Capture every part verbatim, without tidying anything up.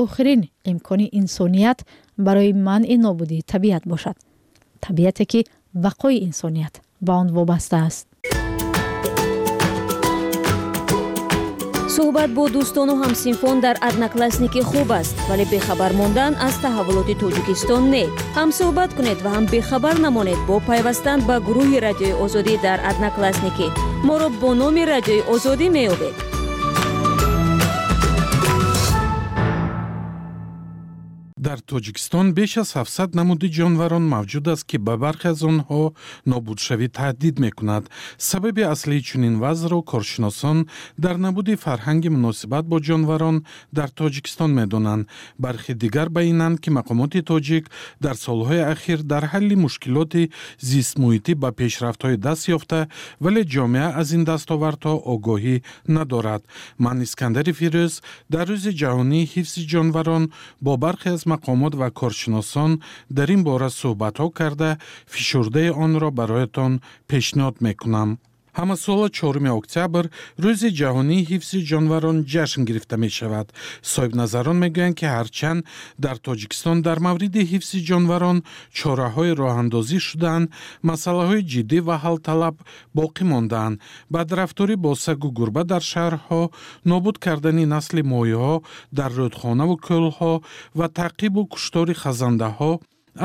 Охирин имкони инсоният барои манъи нобудии табиат бошад, табиате ки бақои инсоният ба он вобаста аст. Суҳбат бо дӯстону ҳамсинфон дар Одноклассники хуб аст, вале бехабар мондан аз таҳаввулоти Тоҷикистон не. Ҳам суҳбат кунед ва ҳам бехабар намонед бо пайвастан ба гурӯҳи Радиои Озодӣ дар Одноклассники. Моро бо номи Радиои Озодӣ меёбед. Дар Тоҷикистон беш аз ҳафтсад намуди ҷонварон мавҷуд аст, ки ба бархе аз онҳо нобудшавӣ таҳдид мекунад. Сабаби аслии чунин вазъро коршиносон дар набуди фарҳанги муносибат бо ҷонварон дар Тоҷикистон медонанд. Бархе дигар ба инанд, ки мақомоти тоҷик дар солҳои ахир дар ҳалли мушкилоти зистмуҳитӣ ба пешрафтҳои даст ёфта, вале ҷомеа аз ин дастовардҳо огоҳӣ надорад. Ман Искандари Фирӯз дар рӯзи ҷаҳонии ҳифзи ҷонварон бо бархе аз мақомот ва коршиносон дар ин бора суҳбатҳо карда, фишурдаи онро бароятон пешниҳод мекунам. Ҳамасола чоруми октябр рӯзи ҷаҳонии ҳифзи ҷонварон ҷашн гирифта мешавад. Соҳибназарон мегӯянд, ки ҳарчанд дар Тоҷикистон дар мавриди ҳифзи ҷонварон чораҳои роҳандозӣ шудаанд, масъалаҳои ҷиддӣ ва ҳалталаб боқӣ мондаанд. Бадрафторӣ бо сагу гурба дар шаҳрҳо, нобуд кардани насли моҳиҳо дар рӯдхонаву кӯлҳо ва таъқибу куштори хазандаҳо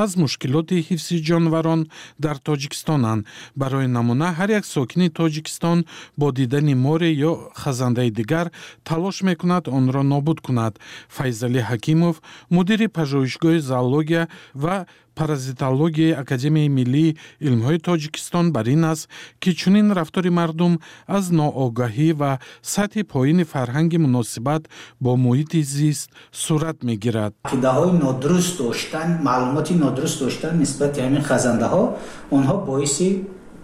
аз мушкилоти ҳифзи ҷонварон дар Тоҷикистонанд. Барои намуна, ҳар як сокини Тоҷикистон бо дидани море ё хазандаи дигар талош мекунад онро нобуд кунад. Файзалӣ Ҳакимов, мудири пажӯҳишгоҳи зоология ва паразитологияи Академияи миллии илмҳои Тоҷикистон бар ин аст, ки чунин рафтори мардум аз ноогаҳӣ ва сатҳи поини фарҳанги муносибат бо муҳити зист сурат мегирад. Ақидаҳои нодуруст доштан, маълумоти нодуруст доштан нисбати ҳамин хазандаҳо, онҳо боиси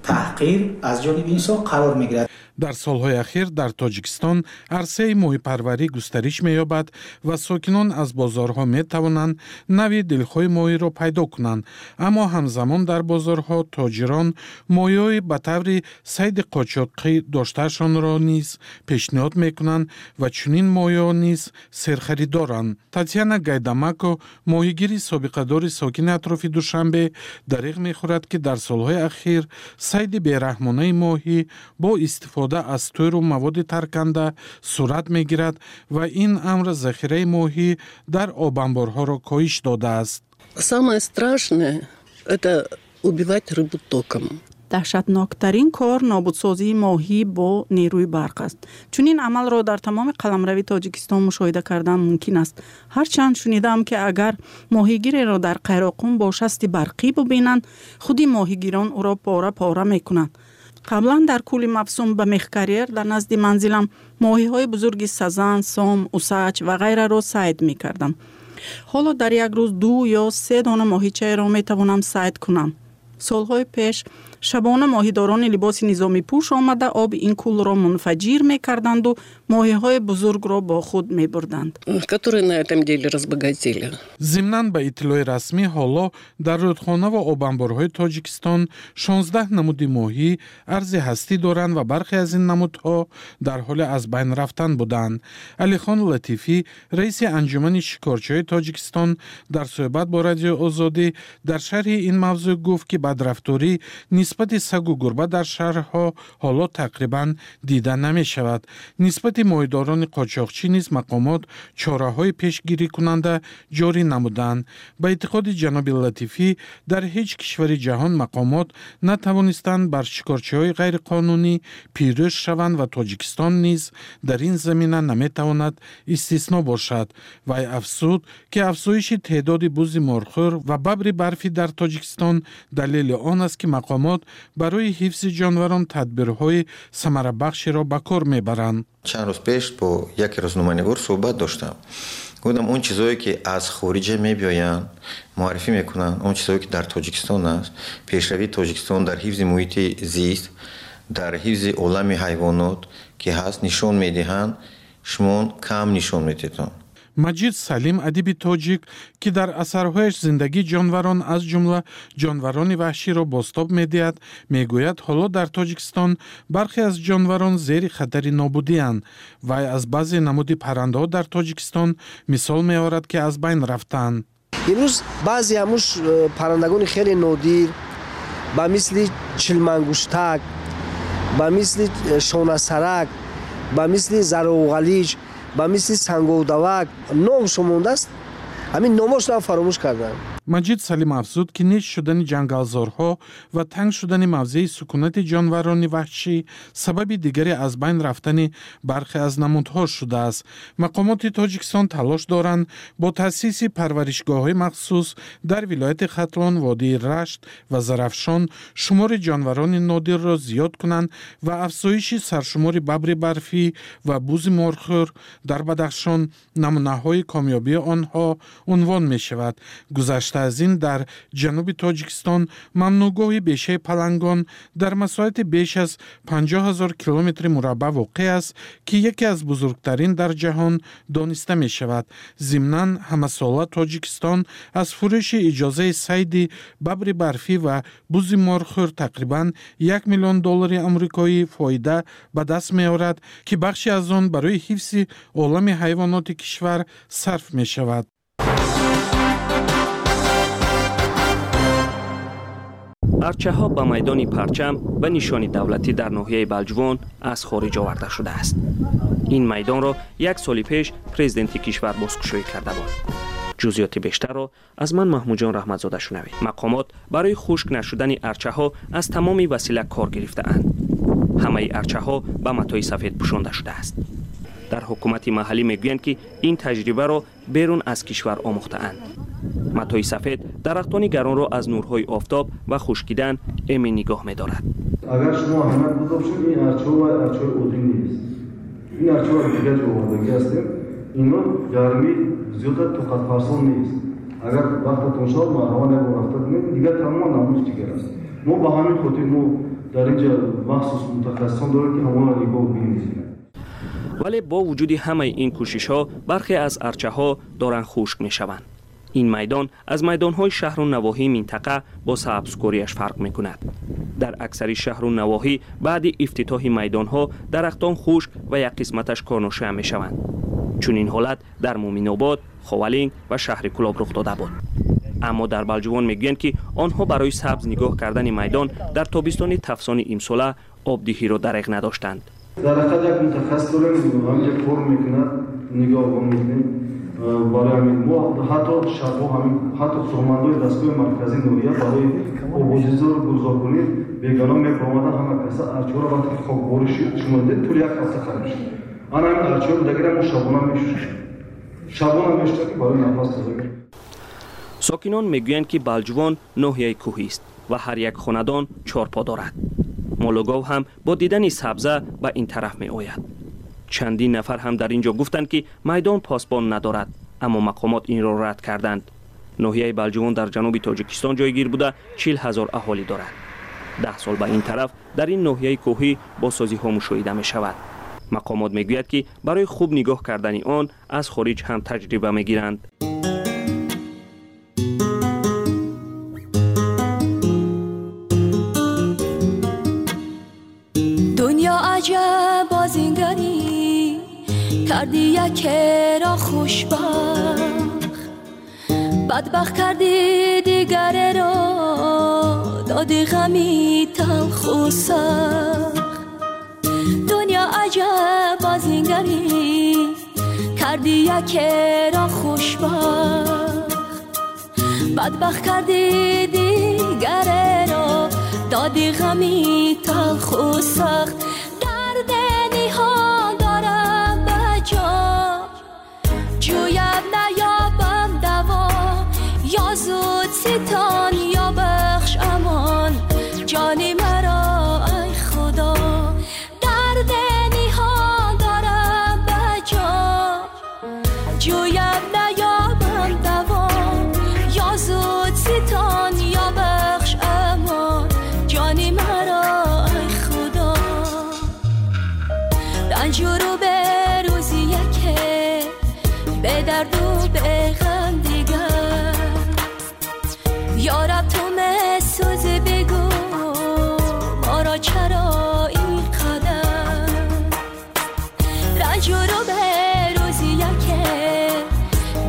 таҳқир аз ҷониби инсон қарор мегирад. Дар солҳои ахир дар Тоҷикистон арсаи моҳипарварӣ густариш меёбад ва сокинон аз бозорҳо метавонанд нави дилхоҳи моҳиро пайдо кунанд. Аммо ҳамзамон дар бозорҳо тоҷирон моҳиҳои ба таври сайди қочоқӣ доштаашонро низ пешниҳод мекунанд ва чунин моҳиҳо низ серхаридоранд. Татьяна Гайдамако, моҳигири собиқадори сокини атрофи Душанбе, дариғ мехӯрад, ки дар солҳои ахир сайди бераҳмонаи моҳӣ бо истифода аз тӯру маводи тарканда сурат мегирад ва ин амр захираи моҳӣ дар обанборҳоро коҳиш додааст. Самое страшное – это убивать рыбу током. Даҳшатноктарин кор нобудсозии моҳӣ бо нерӯи барқ аст. Чунин амалро дар тамоми қаламрави Тоҷикистон мушоҳида кардан мумкин аст. Ҳарчанд шунидаам, ки агар моҳигиреро дар Қайроқум бо шасти барқӣ бубинанд, худи моҳигирон ӯро пора-пора мекунанд. Қаблан дар кӯли мавсум ба мехкарьер дар назди манзилам моҳиҳои бузурги сазан, сом, усач ва ғайраро сайд мекардам. Ҳоло дар як рӯз ду ё се дона моҳичаеро метавонам сайд кунам. Солҳои пеш шабона моҳидорони либоси низомипӯш омада оби ин кӯлро мунфаҷир мекарданду моҳиҳои бузургро бо худ мебурданд. Которые на этом деле разбогатели. Зимнан, ба иттилои расмӣ, ҳоло дар рӯдхона ва обанборҳои Тоҷикистон шонздаҳ намуди моҳӣ арзи ҳастӣ доранд ва бархе аз ин намудҳо дар ҳоли аз байн рафтан буданд. Алихон Латифӣ, раиси анҷумани шикорчиҳои Тоҷикистон, дар суҳбат бо Радиои Озодӣ дар шарҳи ин мавзӯъ гуфт, ки бадрафторӣ нисбати сагу гурба дар шаҳрҳо ҳоло тақрибан дида намешавад. Нисбати моҳидорони қочоқчӣ низ мақомот чораҳои пешгирикунанда ҷорӣ намуданд. Ба эътиқоди ҷаноби Латифӣ, дар ҳеҷ кишвари ҷаҳон мақомот натавонистанд бар шикорчиҳои ғайриқонунӣ пирӯз шаванд ва Тоҷикистон низ дар ин замина наметавонад истисно бошад. Вай афзуд, ки афзоиши теъдоди бузи морхӯр ва бабри барфӣ дар Тоҷикистон далели он аст, ки мақомот барои ҳифзи ҷонварон тадбирҳои самарабахшеро ба кор мебаранд. Чанд рӯз пеш бо яке рӯзноманигор суҳбат доштам. Гуфтам, он чизое ки аз хориҷа мебиёянд, муаррифӣ мекунанд, он чизое ки дар Тоҷикистон аст, пешравии Тоҷикистон дар ҳифзи муҳити зист, дар ҳифзи олами ҳайвонот ки ҳаст, нишон медиҳанд, шумо кам нишон медиҳед. Маҷид Салим, адиби тоҷик, ки дар асарҳояш зиндагии ҷонварон, аз ҷумла ҷонварони ваҳширо бозтоб медиҳад, мегӯяд, ҳоло дар Тоҷикистон бархе аз ҷонварон зери хатари нобудианд. Вай аз баъзе намуди паррандаҳо дар Тоҷикистон мисол меорад, ки аз байн рафтаанд. Имрӯз баъзе ҳамуш паррандагони хеле нодир, ба мисли чилмангуштак, ба мисли шонасарак, ба мисли зароғалиҷ, ба мисли санговдавак номшо мондааст, ҳамин номошро фаромӯш карданд. Маҷид Салим афзуд, ки нест шудани ҷангалзорҳо ва танг шудани мавзеи сукунати ҷонварони ваҳшӣ сабаби дигаре аз байн рафтани бархе аз намудҳо шудааст. Мақомоти Тоҷикистон талош доранд бо таъсиси парваришгоҳҳои махсус дар вилояти Хатлон, водии Рашт ва Зарафшон шумори ҷонварони нодирро зиёд кунанд ва афзоиши саршумори бабри барфӣ ва бузи морхӯр дар Бадахшон намунаҳои комёбии онҳо унвон мешавад. Гузашта аз ин, дар ҷануби Тоҷикистон мамнӯъгоҳи бешаи палангон дар масоҳати беш аз панҷоҳ ҳазор километри мураббаъ воқеъ аст, ки яке аз бузургтарин дар ҷаҳон дониста мешавад. Зимнан, ҳамасола Тоҷикистон аз фурӯши иҷозаи сайди бабри барфӣ ва бузи морхӯр тақрибан як миллион доллари амрикоӣ фоида ба даст меорад, ки бахши аз он барои ҳифзи олами ҳайвоноти кишвар сарф мешавад. Арчаҳо ба майдони Парчам ва нишони давлатӣ дар ноҳияи Балҷувон аз хориҷ оварда шудааст. Ин майдонро як соли пеш президенти кишвар бозкушоӣ карда буд. Ҷузъиёти бештарро аз ман Маҳмудҷон Раҳматзода шунавед. Мақомот барои хушк нашудани арчаҳо аз тамоми васила кор гирифтаанд. Ҳамаи арчаҳо ба матои сафед пӯшонда шудааст. Дар ҳукумати маҳаллӣ мегӯянд, ки ин таҷрибаро берун аз кишвар омӯхтаанд. Матои сафед дарахтони гаронро аз нурҳои офтоб ва хушкидан эмин нигоҳ медорад. Агар шумо аҳамият буда бошед, ин арчаҳо ва арчаҳои оддӣ нест. Ин арчаҳо аз дигар ҷо овардагӣ ҳастем. Ино гармӣ зиёда тоқатфарсон нест. Агар вақтатон шавад, марҳамат, як бор рафта бинед, дигар тамоман намуди дигар аст. Мо ба ҳамин хотир мо дар инҷа махсус мутахассисон дорем, ки ҳамонро нигоҳ бинем. Вале бо вуҷуди ҳамаи ин кӯшишҳо бархе аз арчаҳо доранд хушк мешаванд. Ин майдон аз майдонҳои шаҳру навоҳии минтақа бо сабзкориаш фарқ мекунад. Дар аксари шаҳру навоҳӣ баъди ифтитоҳи майдонҳо дарахтон хушк ва як қисматаш корношоям мешаванд. Чунин ҳолат дар Муминобод, Ховалинг ва шаҳри Кулоб рух дода буд. Аммо дар Балҷувон мегӯянд, ки онҳо барои сабз нигоҳ кардани майдон дар тобистони тафсони имсола обдиҳиро дареғ надоштанд. Дар ҳақиқат як мутахассис дорем, ҳаминҷа кор мекунад, нигоҳбон мекунем. Барои ҳамин мо ҳатто шабҳо, ҳамин ҳатто кормандои дастгоҳи марказии ноҳия барои ободизору гулзоркунӣ бегона мебаромадан, ҳама каса арчаҳоро вақте ки хокборӣ шуд, шумо дидед, тӯли як ҳафта хароб шуд. Ана ҳамин арчаҳои будагиро мо шабона мешӯшем, шабона мешӯшем, ки барои нафас тозагӣ. Сокинон мегӯянд, ки Балҷувон ноҳияи кӯҳист ва ҳар як хонадон чорпо дорад. Молугов ҳам бо дидани сабза ба ин тараф меояд. Чандин нафар ҳам дар ин ҷо гуфтанд, ки майдон посбон надорад, аммо мақомот инро рад карданд. Ноҳияи Балҷувон дар ҷануби Тоҷикистон ҷойгир буда, чил ҳазор аҳолӣ дорад. Даҳ сол ба ин тараф дар ин ноҳияи кӯҳӣ бозсозиҳо мушоҳида мешавад. Мақомот мегӯяд, ки барои хуб нигоҳ кардани он аз хориҷ ҳам таҷриба мегиранд. Дунё аҷаб бозингарӣ кардӣ, якеро хушбахт, бадбахт кардӣ дигареро, додӣ ғами талху сахт. Дунё аҷаб бозингарӣ кардӣ, якеро хушбахт, бадбахт кардӣ дигареро, додӣ ғами талху сахт. Дард ниҳон дорам ба ҷон, ҷӯям наёбам даво, ё зуд ситон ё бахш амон, ҷони маро ай худо. Дард ниҳон дорам ба ҷон, ҷӯям наёбам даво, ё зуд ситон ё бахш амон, ҷони маро ай худо. Ранҷуру به روزی یکه به درد به غم دیگر. یارب تو مسوزی بگو ما را چرا این قدر رنج رو به روزی یکه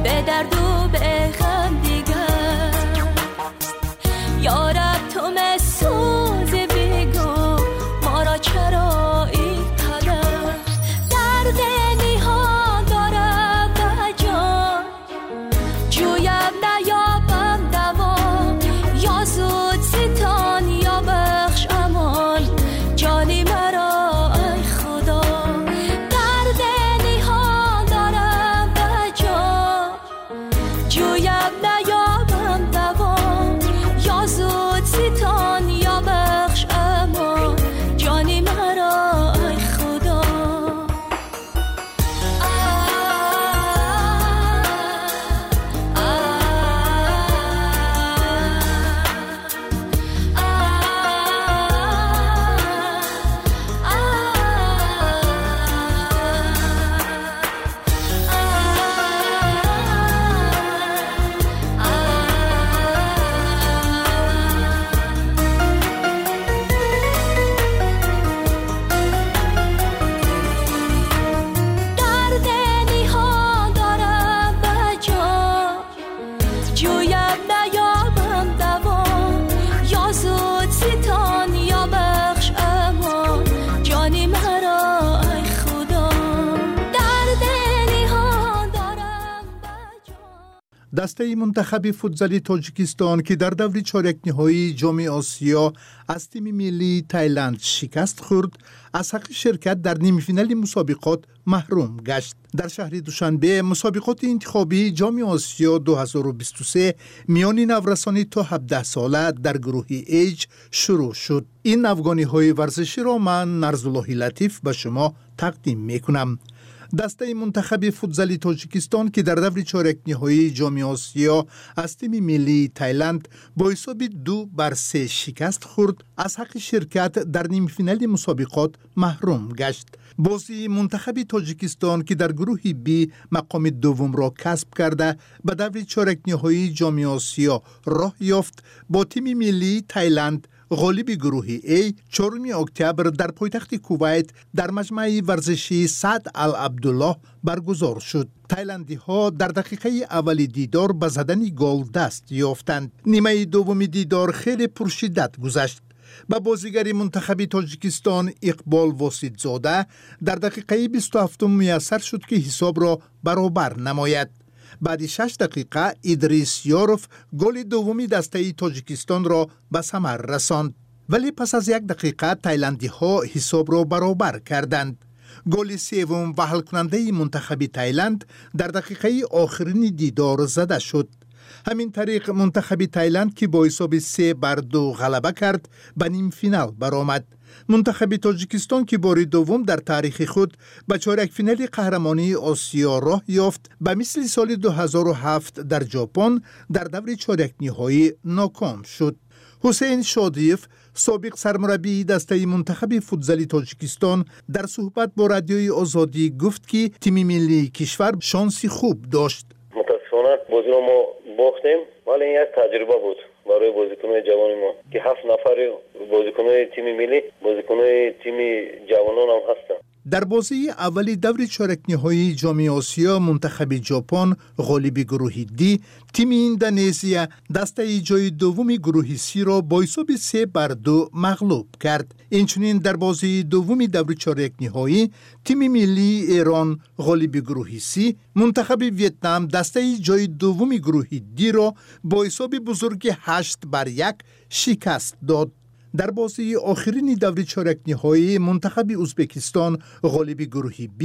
به درد و به غم دیگر. یارب تو مسوزی بگو ما را چرا این قدر درد نیهان دارم به جان جویم نیابم دوا یا زود ستان یا بخش امان جانی مرا ای خدا. درد نیهان دارم به جان جویم نیابم دوا یا زود ستان یا بخش امان جانی مرا ای خدا. درد نیهان دارم به جان جویم نیابم دوا یا زود ستان یا بخش امان جانی مرا ای خدا. درد نیهان دارم به جان. Дастаи мунтахаби футзали Тоҷикистон, ки дар даври чорякниҳоии Ҷоми Осиё аз тими миллии Тайланд шикаст хӯрд, аз ҳаққи ширкат дар нимфинали мусобиқот маҳрум гашт. Дар шаҳри Душанбе мусобиқоти интихобии Ҷоми Осиё ду ҳазору бисту се миёни наврасони то ҳабдаҳ сола дар гурӯҳи H шурӯъ шуд. Ин навгониҳои варзиширо ман Нарзуллоҳи Латиф ба шумо тақдим мекунам. Дастаи мунтахаби футзали Тоҷикистон, ки дар даври чорякниҳоии Ҷоми Осиё аз тими миллии Тайланд бо ҳисоби ду бар се шикаст хӯрд, аз ҳаққи ширкат дар нимфинали мусобиқот маҳрум гашт. Бозии мунтахаби Тоҷикистон, ки дар гурӯҳи Б мақоми дуввумро касб карда ба даври чорякниҳоии Ҷоми Осиё роҳ ёфт, бо тими миллии Тайланд ғолиби гурӯҳи А чоруми октябр дар пойтахти Кувайт дар маҷмӯаи варзишии Саъд ал-Абдуллоҳ баргузор шуд. Тайландиҳо дар дақиқаи аввали дидор ба задани гол даст ёфтанд. Нимаи дуввуми дидор хеле пуршиддат гузашт. Ба бозигари мунтахаби Тоҷикистон Иқбол Воситзода дар дақиқаи бисту ҳафтум муяссар шуд, ки ҳисобро баробар намояд. Баъди шаш дақиқа Идрис Ёров голи дуввуми дастаи Тоҷикистонро ба самар расонд. Вале пас аз як дақиқа тайландиҳо ҳисобро баробар карданд. Голи севум ва ҳалкунандаи мунтахаби Тайланд дар дақиқаи охирини дидор зада шуд. Ҳамин тариқ мунтахаби Тайланд, ки бо ҳисоби се бар ду ғалаба кард, ба нимфинал баромад. Мунтахаби Тоҷикистон, ки бори дуввум дар таърихи худ ба чорякфинали қаҳрамонии Осиё роҳ ёфт, ба мисли соли ду ҳазору ҳафт дар Ҷопон дар даври чорякниҳоӣ ноком шуд. Ҳусейн Шодиев, собиқ сармураббии дастаи мунтахаби футзали Тоҷикистон, дар суҳбат бо Радиои Озодӣ гуфт, ки тими миллии кишвар шонси хуб дошт. Мутаассифона бозиро мо бохтем, вале ин як таҷриба буд барои бозикунони ҷавони мо, ки ҳафт нафари бозикунони тими миллӣ бозикунони тими ҷавонон ҳам ҳастанд. Дар бозии аввали даври чорякниҳоии Ҷоми Осиё мунтахаби Ҷопон ғолиби гурӯҳи Д, тими Индонезия дастаи ҷои дуввуми гурӯҳи Сиро бо ҳисоби се бар ду мағлуб кард. Инчунин дар бозии дуввуми даври чорякниҳоӣ тими миллии Эрон ғолиби гурӯҳи С, мунтахаби Вьетнам дастаи ҷои дуввуми гурӯҳи Дро бо ҳисоби бузурги ҳашт бар як шикаст дод. Дар бозии охирини даври чорякниҳоӣ мунтахаби Ӯзбекистон ғолиби гурӯҳи Б,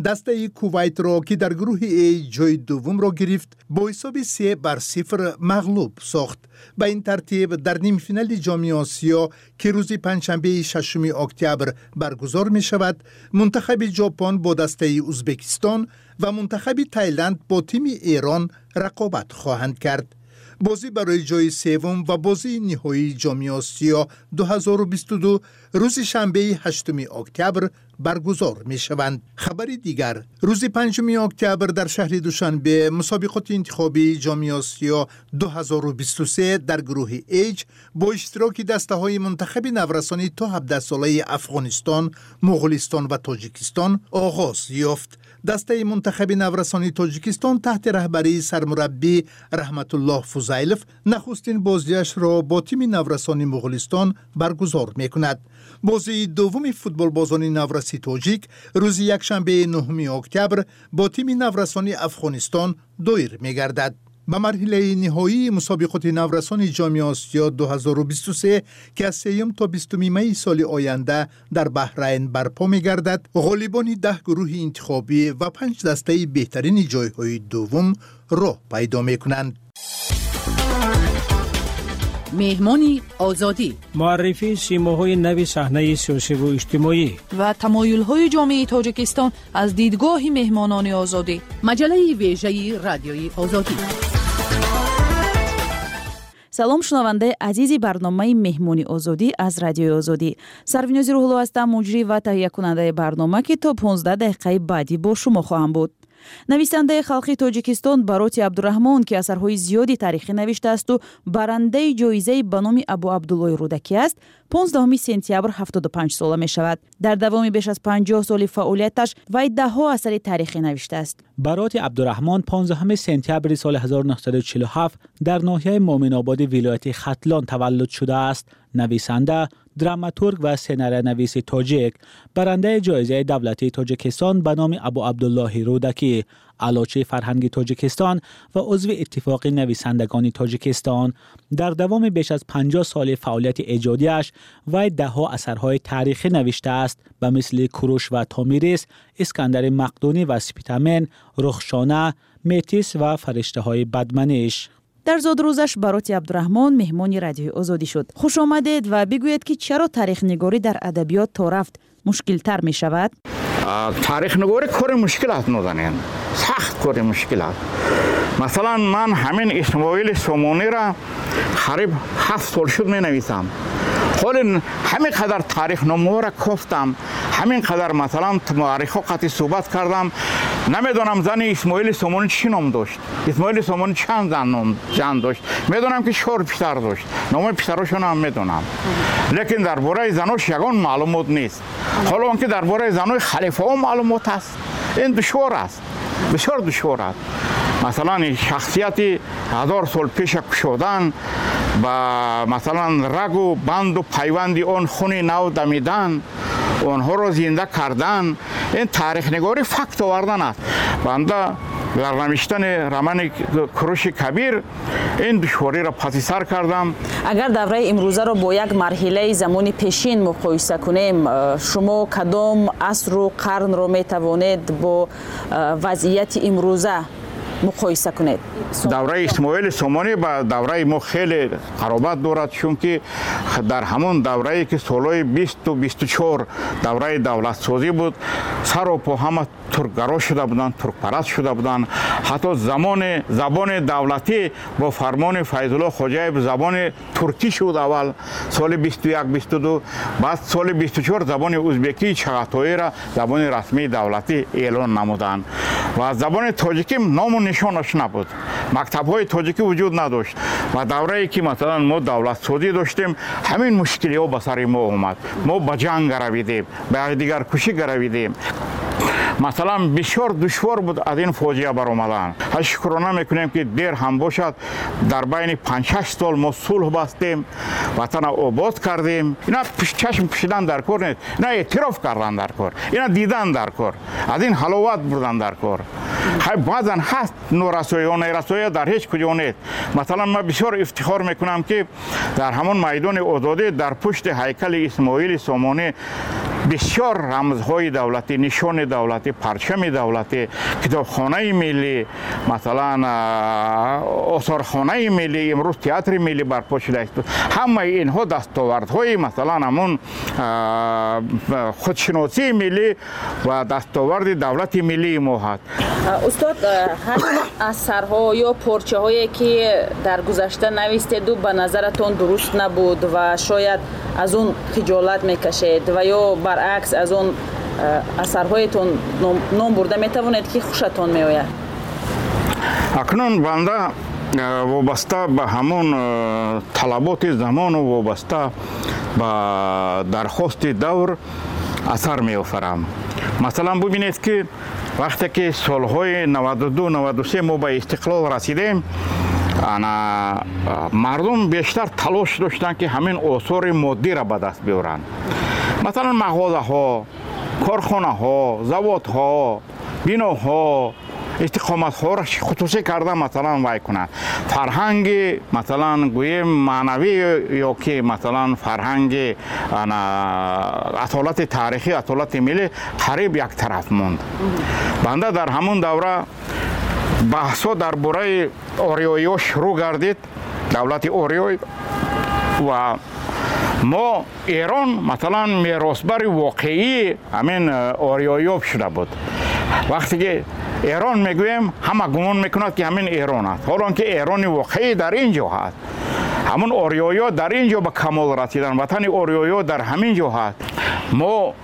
дастаи Кувайтро, ки дар гурӯҳи А ҷои дуввумро гирифт, бо ҳисоби се бар сифр мағлуб сохт. Ба ин тартиб дар нимфинали Ҷоми Осиё, ки рӯзи панҷшанбеи шашуми октябр баргузор мешавад, мунтахаби Ҷопон бо дастаи Ӯзбекистон ва мунтахаби Тайланд бо тими Эрон рақобат хоҳанд кард. Бозӣ барои ҷои севум ва бозии ниҳоии Ҷоми Осиё ду ҳазору бисту ду рӯзи шанбеи ҳаштуми октябр баргузор мешаванд. Хабари дигар: рӯзи панҷуми октябр дар шаҳри Душанбе мусобиқоти интихобии Ҷоми Осиё ду ҳазору бисту се дар гурӯҳи H бо иштироки дастаҳои мунтахаби наврасони то ҳабдаҳсолаи Афғонистон, Муғулистон ва Тоҷикистон оғоз ёфт. Дастаи мунтахаби наврасони Тоҷикистон таҳти раҳбарии сармураббӣ Раҳматуллоҳ Фузайлов нахустин бозиашро бо тими наврасони Муғулистон баргузор мекунад. Бозии дуввуми футболбозони навраси тоҷик рӯзи якшанбеи нуҳуми октябр бо тими наврасони Афғонистон доир мегардад. Ба марҳилаи ниҳоии мусобиқоти наврасони Ҷоми Осиё ду ҳазору бисту се, ки аз сеюм то бистуми майи соли оянда дар Баҳрайн барпо мегардад, ғолибони даҳ гурӯҳи интихобӣ ва панҷ дастаи беҳтарини ҷойҳои дуввум роҳ пайдо мекунанд. Меҳмони Озодӣ. Муаррифии симоҳои нави саҳнаи сиёсиву иҷтимоӣ ва тамоюлҳои ҷомеаи Тоҷикистон аз дидгоҳи меҳмонони Озодӣ. Маҷаллаи вежаи Радиои Озодӣ. Салом, шунавандаи азизи барномаи Меҳмони Озодӣ аз Радиои Озодӣ. Сарвинози Рӯҳулло ҳастам, муҷрӣ ва таҳиякунандаи барнома, ки то понздаҳ дақиқаи баъдӣ бо шумо хоҳам буд. Нависандаи халқи Тоҷикистон Бароти Абдураҳмон, ки асарҳои зиёди таърихӣ навиштаасту барандаи ҷоизаи ба номи Абу Абдуллои Рӯдакӣ аст, понздаҳуми сентябр ҳафтоду панҷ сола мешавад. Дар давоми беш аз панҷоҳ соли фаъолияташ вай даҳҳо асари таърихӣ навиштааст. Бароти Абдураҳмон понздаҳуми сентябри соли ҳазору нӯҳсаду чилу ҳафт дар ноҳияи Муъминободи вилояти Хатлон таваллуд шудааст. Нависанда, драматург ва сценариянависи тоҷик, барандаи ҷоизаи давлатии Тоҷикистон ба номи Абу Абдуллоҳи Рӯдакӣ, аълочии фарҳанги Тоҷикистон ва узви Иттифоқи нависандагони Тоҷикистон. Дар давоми беш аз панҷоҳ соли фаъолияти эҷодиаш вай даҳҳо асарҳои таърихӣ навиштааст, ба мисли Куруш ва Томирис, Искандари Мақдунӣ ва Спитамен, Рухшона, Метис ва фариштаҳои бадманиш. Дар зодрӯзаш Бароти Абдураҳмон меҳмони Радиои Озодӣ шуд. Хуш омадед ва бигӯед, ки чаро таърихнигорӣ дар адабиёт то рафт мушкилтар мешавад? Таърихнигорӣ кори мушкил аст, нозанин, сахт кори мушкил аст. Масалан, ман ҳамин Исмоили Сомониро қариб ҳафт сол шуд менависам. Ҳоли ҳамин қадар таърихномаҳоро кофтам, ҳамин қадар, масалан, муаррихҳо қати суҳбат кардам, намедонам зани Исмоили Сомонӣ чӣ ном дошт, Исмоили Сомонӣ чанд зан ном зан дошт. Медонам, ки чор писар дошт, номои писарошонам медонам, лекин дар бораи занош ягон маълумот нест. Ҳоло он ки дар бораи занои халифаҳо маълумот аст, ин душвор аст, бисёр душвор аст. Масалан, шахсияти ҳазор сол пеша кушодан ба, масалан, рагу банду пайванди он хуни нав дамидан, онҳоро зинда кардан, ин таърихнигорӣ факт овардан аст. Банда дар навиштани романи Куруши Кабир ин душвориро паси сар кардам. Агар давраи имрӯзаро бо як марҳилаи замони пешин муқоиса кунем, э, шумо кадом асру қарнро метавонед бо э, вазъияти имрӯза муқоиса кунед? Давраи Исмоили Сомонӣ ба давраи мо хеле қаробат дорад, чунки дар ҳамон даврае, ки солҳои бисту бисту чор давраи давлатсозӣ буд, сару по ҳама туркгаро шуда буданд, туркпараст шуда буданд. Ҳатто замони забони давлатӣ бо фармони Файзулло Хоҷаев забони туркӣ шуд, аввал соли бисту як, бисту ду, баъд соли бисту чор забони узбекии чағатоиро забони расмии давлатӣ эълон намуданд ва забони тоҷикӣ ному нишонаш набуд, мактабҳои тоҷикӣ вуҷуд надошт. Ва даврае ки, масалан, мо давлатсозӣ доштем, ҳамин мушкилиҳо ба сари мо омад. Мо ба ҷанг гаравидем, ба якдигаркушӣ гаравидем. Масалан, бисёр душвор буд аз ин фоҷиа баромадан. Шукрона мекунем, ки дер ҳам бошад, дар байни панҷ-шаш сол мо сулҳ бастем, ватана обод кардем. Ина чашм пӯшидан дар кор нест, ина эътироф кардан дар кор, ина дидан дар кор, аз ин ҳаловат бурдан дар кор. Баъзан ҳаст норасоиҳо, нерасоиҳо дар ҳеҷ куҷо нест. Масалан, ман бисёр ифтихор мекунам, ки дар ҳамон майдони Озодӣ, дар пушти ҳайкали Исмоили Сомонӣ бисёр рамзҳои давлатӣ, нишони давлатӣ, парчами давлатӣ, китобхонаи миллӣ, масалан, осорхонаи миллӣ, имрӯз театри миллӣ барпо шудааст. Ҳамаи инҳо дастовардҳои, масалан, ҳамон худшиносии миллӣ ва дастоварди давлати миллии мо ҳаст. Устод, ҳамин асарҳо ё порчаҳое, ки дар гузашта навистеду ба назаратон дуруст набуд ва шояд аз он хиҷолат мекашед ва ё баръакс аз он асарҳоятон ном бурда метавонед, ки хушатон меояд? Акнун банда вобаста ба ҳамон талаботи замону вобаста ба дархости давр асар меофарам. Масалан, бубинед, ки вақте ки солҳои наваду ду наваду се мо ба истиқлол расидем, ана мардум бештар талош доштанд, ки ҳамин осори моддиро ба даст биёранд. Масалан, мағозаҳо, корхонаҳо, заводҳо, биноҳо, истиқоматҳоро хусусӣ карда, масалан, вай кунанд. Фарҳанги, масалан, гӯем, маънавӣ ё ки, масалан, фарҳанги асолати таърихӣ, асолати миллӣ қариб як тараф монд. Банда дар ҳамон давра баҳсҳо дар бораи ориёиҳо шурӯъ гардид, давлати ориёй, ва мо Эрон, масалан, меросбари воқеии ҳамин ориёиҳо шуда буд. Вақте ки Эрон мегӯем, ҳама гумон мекунад, ки ҳамин Эрон аст, ҳолон ки Эрони воқеӣ дар ин ҷо ҳаст. Ҳамон ориёиҳо дар ин ҷо ба камол расиданд, ватани ориёиҳо дар ҳамин ҷо ҳаст. Мо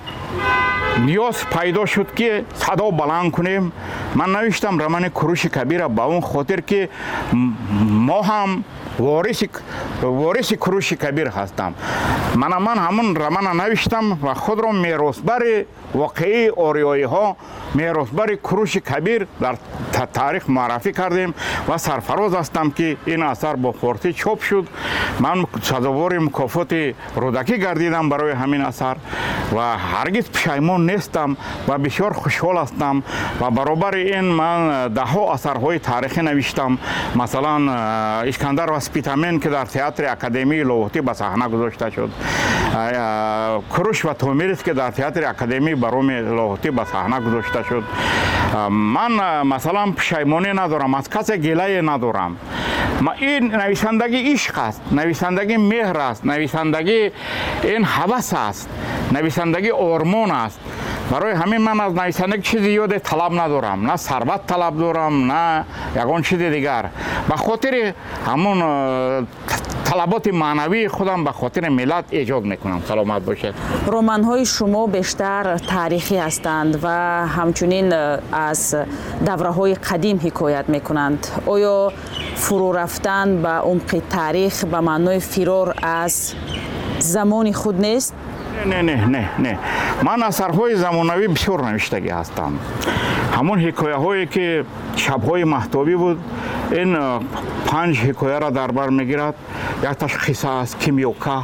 ниёз пайдо шуд, ки садо баланд кунем. Ман навиштам романи Куруши Кабира ба он хотир, ки мо ҳам вориси вориси Куруши Кабир ҳастам. Мана ман ҳамон романа навиштам ва худро меросбари воқеии ориёиҳо, меросбари Куруши Кабир дар таърих муаррафӣ кардем ва сарфароз ҳастам, ки ин асар бо форсӣ чоп шуд. Ман сазовори мукофоти Рӯдакӣ гардидам барои ҳамин асар ва ҳаргиз пушаймон нестам ва бисёр хушҳол ҳастам. Ва баробари ин ман даҳҳо асарҳои таърихӣ навиштам. Масалан, Искандар ва Спитамен, ки дар театри Академияи Лоҳутӣ ба саҳна гузошта шуд, Куруш ва Томирис, ки дар театри Академияи Бароми Лоҳутӣ ба саҳна гузошта шуд. Ман, масалан, пушаймонӣ надорам, аз касе гилае надорам. Ин нависандагӣ ишқ аст, нависандагӣ меҳр аст, нависандагӣ ин ҳавас аст, нависандагӣ ормон аст. Барои ҳамин ман аз нависандагӣ чизи зиёде талаб надорам, на сарват талаб дорам, на ягон чизи дигар. Ба хотири ҳамон талаботи маънавии худам, ба хотири миллат эҷод мекунам. Саломат бошед. Романҳои шумо бештар таърихӣ ҳастанд ва ҳамчунин аз давраҳои қадим ҳикоят мекунанд. Оё фурӯ рафтан ба умқи таърих ба маънои фирор аз замони худ нест? Не, не, не, не. Ман асарҳои замонавӣ бисёр навиштагӣ ҳастам. Ҳамон ҳикояҳое, ки шабҳои маҳтобӣ буд, ин панҷ ҳикояро дар бар мегирад. Якташ қисса аст, кимёка,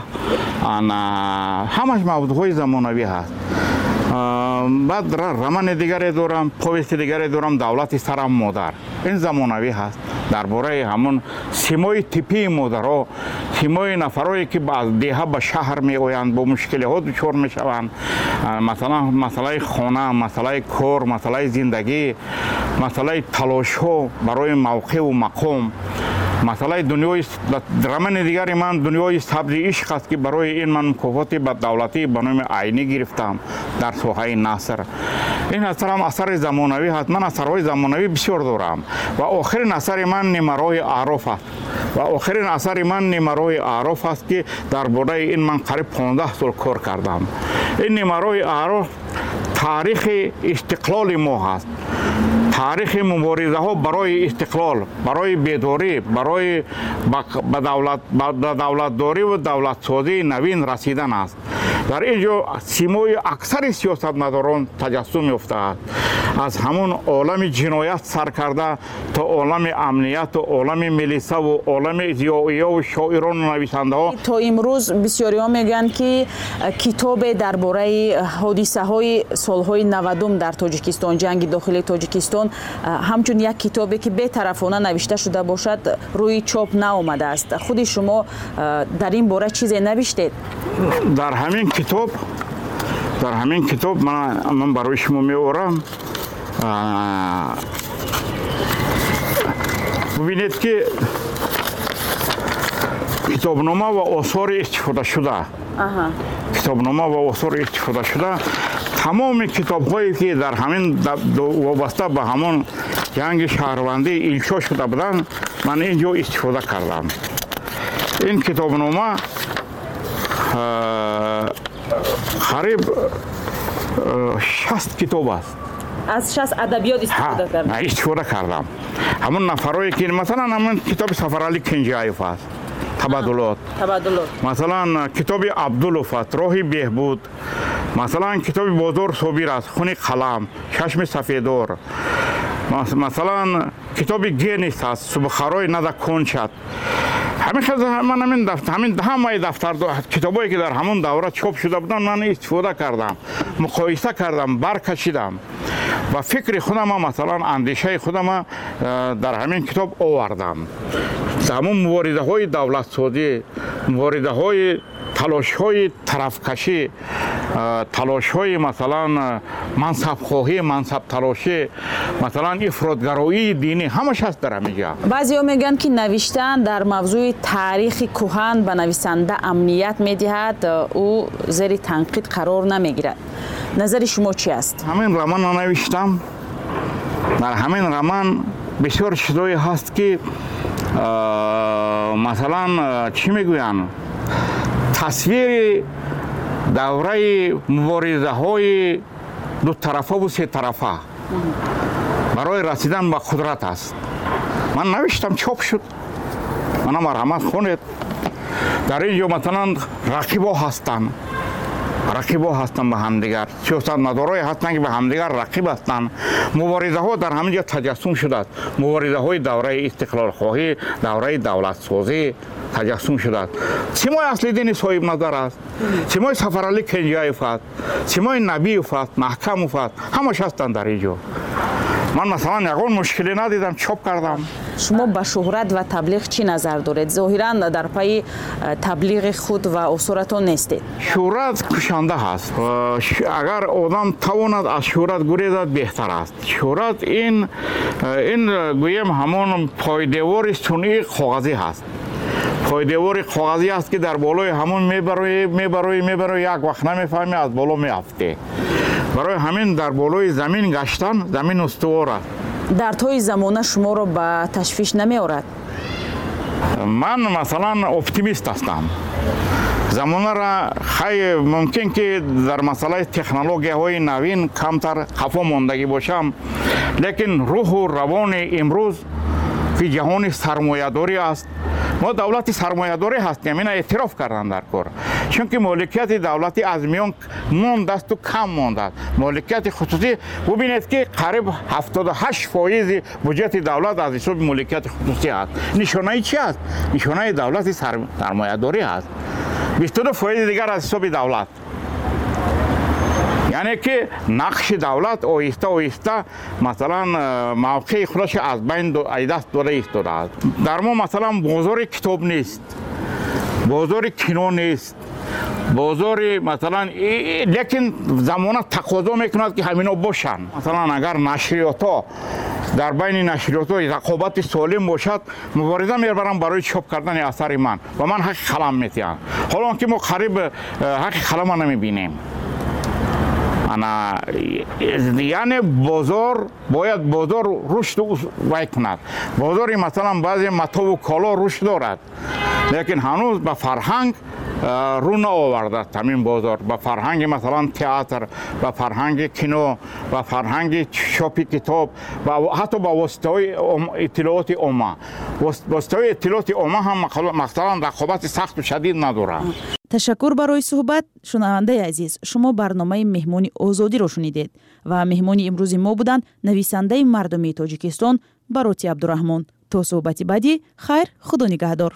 ҳамаш мавзӯъҳои замонавӣ ҳаст. Баъд романи дигаре дорам, повести дигаре дорам, Давлати сарам модар. Ин замонавӣ ҳаст, дар бораи ҳамон симои типии модарҳо, симои нафарое, ки аз деҳа ба шаҳр меоянд, бо мушкилиҳо дучор мешаванд. Масалан, масъалаи хона, масъалаи кор, масъалаи зиндагӣ, масъалаи талошҳо барои мавқеъу мақом, масъалаи дунёи. Романи дигари ман Дунёи сабзи ишқ аст, ки барои ин ман мукофоти давлатӣ ба номи Айнӣ гирифтам дар соҳаи наср. Ин асарам асари замонавӣ ҳаст. Ман асарҳои замонавӣ бисёр дорам ва охирин асари ман Нимароҳи аъроф аст. Ва охирин асари ман Нимароҳи аъроф аст, ки дар бораи ин ман қариб понздаҳ сол кор кардам. Ин Нимароҳи аъроф таърихи истиқлоли мо ҳаст, таърихи муборизаҳо барои истиқлол, барои бедорӣ, барои ба давлатдорӣ ва давлатсозии навин расидан аст. Дар ин ҷо симои аксари сиёсатмадорон таҷассум ёфтааст, аз ҳамон олами ҷиноят сар карда то олами амнияту олами милисаву олами зиёиёву шоирону нависандаҳо. То имрӯз бисёриҳо мегӯянд, ки китобе дар бораи ҳодисаҳои солҳои навадум дар Тоҷикистон, ҷанги дохилии Тоҷикистон, ҳамчун як китобе, ки бетарафона навишта шуда бошад, рӯи чоп наомадааст. Худи шумо дар ин бора чизе навиштед? Дар ҳамин китоб, дар ҳамин китоб ман барои шумо меорам. Бубинед, ки китобнома ва осори истифодашуда, китобнома ва осори истифодашуда, тамоми китобҳое, ки дар ҳамин вобаста ба ҳамон ҷанги шаҳрвандӣ иншо шуда буданд, ман ин ҷо истифода кардам. Ин китобнома қариб шаст китоб аст. Аз шаст адабиёт истифода кардам. Истифода кардам. Ҳамон нафарое ки масалан ҳамон китоби Сафарали Кенҷаев аст, Табаддулот. Табаддулот. Масалан китоби Абдулов аст, Роҳи беҳбуд. Масалан китоби Бозор Собир аст, Хуни қалам, Чашми сафедор. Масалан китоби Генис аст, Субхарои нада кончат. Ҳамин ман ҳамин ҳамин ҳамаи дафтар китобое ки дар ҳамон давра чоп шуда буданд, ман истифода кардам, муқоиса кардам, баркашидам ва фикри худама, масалан андешаи худама дар ҳамин китоб овардам. Ҳамон муборизаҳои давлатсозӣ, муборизаҳои талошҳои тарафкашӣ, талошҳои масалан мансабхоҳӣ, мансабталошӣ, масалан ифротгароии динӣ, ҳамаш ҳаст дар ҳамин ҷо. Баъзеҳо мегӯянд ки навиштан дар мавзӯи таърихи кӯҳан ба нависанда амният медиҳад, ӯ зери танқид қарор намегирад. Назари шумо чӣ аст? Ҳамин романро навиштам. Дар ҳамин роман бисёр чизое ҳаст ки масалан чӣ мегӯянд, тасвири давраи муборизаҳои дутарафаву сетарафа барои расидан ба қудрат аст. Ман навиштам, чоп шуд. Мана марҳамат, хонед. Дар ин ҷо масалан рақибо ҳастанд, рақибо ҳастанд ба ҳамдигар, сиёсатмадорое ҳастанд ки ба ҳамдигар рақиб ҳастанд. Муборизаҳо дар ҳамин ҷо таҷассум шудааст. Муборизаҳои давраи истиқлолхоҳӣ, давраи давлатсозӣ таҷассум шудааст. Симои Аслиддини Соҳибназар аст, симои Сафарали Кенҷаев аст, симои Набиев аст, Маҳкамов аст, ҳамаш ҳастанд дар ин ҷо. Ман масалан ягон мушкиле надидам, чоп кардам. Шумо ба шӯҳрат ва таблиғ чӣ назар доред? Зоҳиран дар пайи таблиғи худ ва осоратон нестед. Шӯҳрат кушанда ҳаст. Агар одам тавонад аз шӯҳрат гурезад, беҳтар аст. Шӯҳрат ин ин гӯем ҳамон пойдевори сунъии коғазӣ ҳаст. Пойдевори коғазӣ аст ки дар болои ҳамон мебароӣ, мебароӣ, мебароӣ, як вақт намефаҳмӣ, аз боло меафтӣ. Барои ҳамин дар болои замин гаштан, замин устувор аст. Дардҳои замона шуморо ба ташвиш намеорад? Ман масалан оптимист ҳастам. Замонара хай мумкин ки дар масъалаи технологияҳои навин камтар қафо мондагӣ бошам, лекин рӯҳу равони имрӯз ки ҷаҳони сармоядорӣ аст, мо давлати сармоядорӣ ҳастем, ина эътироф кардан дар кор, чунки моликияти давлатӣ аз миён мондасту кам мондааст. Моликияти хусусӣ бубинед ки қариб ҳафтоду ҳашт фоизи буҷети давлат аз ҳисоби моликияти хусусӣ аст. Нишонаи чи аст? Нишонаи давлати сармоядорӣ аст. бисту ду фоизи дигар аз ҳисоби давлат. Яъне ки нақши давлат оҳиста оҳиста масалан мавқеи худашро аз байн даст дода истодааст. Дар мо масалан бозори китоб нест, бозори кино нест, бозори масалан, лекин замона тақозо мекунад ки ҳамино бошанд. Масалан агар нашриётҳо дар байни нашриётҳо рақобати солим бошад, мубориза мебарам барои чоп кардани асари ман ва ман ҳаққи қалам метиҳам. Ҳоло он ки мо қариб ҳаққи қалама намебинем. Ана яъне бозор бояд бозор рушд вай кунад. Бозори масалан баъзе матову коло рушд дорад, лекин ҳанӯз ба фарҳанг рӯ наовардааст ҳамин бозор. Ба фарҳанги масалан театр, ба фарҳанги кино, ба фарҳанги чопи китоб ва ҳатто ба воситаҳои иттилооти омма. Воситаҳои иттилооти омма ҳам масалан рақобати сахту шадид надорад. Ташаккур барои суҳбат. Шунавандаи азиз, шумо барномаи меҳмони озодиро шунидед ва меҳмони имрӯзи мо буданд нависандаи мардумии Тоҷикистон Бароти Абдураҳмон. То суҳбати баъдӣ хайр, худо нигаҳдор.